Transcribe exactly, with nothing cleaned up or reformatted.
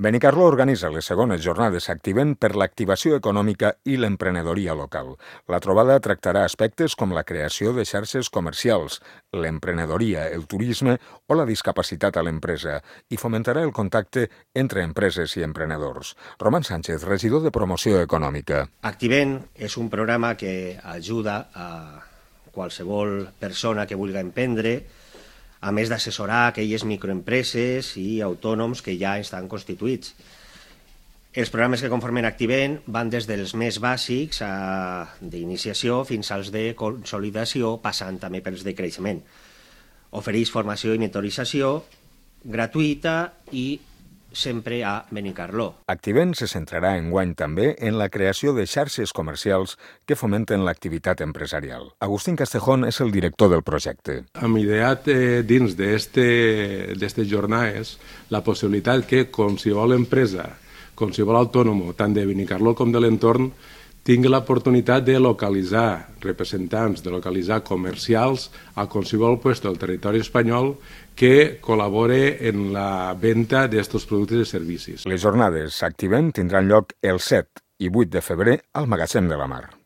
Benicarló organitza les segones jornades Activent per l'activació econòmica i l'emprenedoria local. La trobada tractarà aspectes com la creació de xarxes comercials, l'emprenedoria, el turisme o la discapacitat a l'empresa i fomentarà el contacte entre empreses i emprenedors. Roman Sánchez, regidor de Promoció Econòmica. Activent és un programa que ajuda a qualsevol persona que vulgui emprendre, a més d'assessorar aquelles microempreses i autònoms que ja estan constituïts. Els programes que conformen Activent van des dels més bàsics d'iniciació fins als de consolidació, passant també pels de creixement. Ofereix formació i mentorització gratuïta i sempre a Benicarló. Activent se centrarà enguany també en la creació de xarxes comercials que fomenten l'activitat empresarial. Agustín Castejón és el director del projecte. Hem ideat eh, dins d'aquestes jornades la possibilitat que qualsevol empresa, qualsevol autònom, tant de Benicarló com de l'entorn, tingui l'oportunitat de localitzar representants, de localitzar comercials a qualsevol lloc del territori espanyol que col·labore en la venda d'aquests productes i servicis. Les jornades Activent tindran lloc el set i vuit de febrer al Magatzem de la Mar.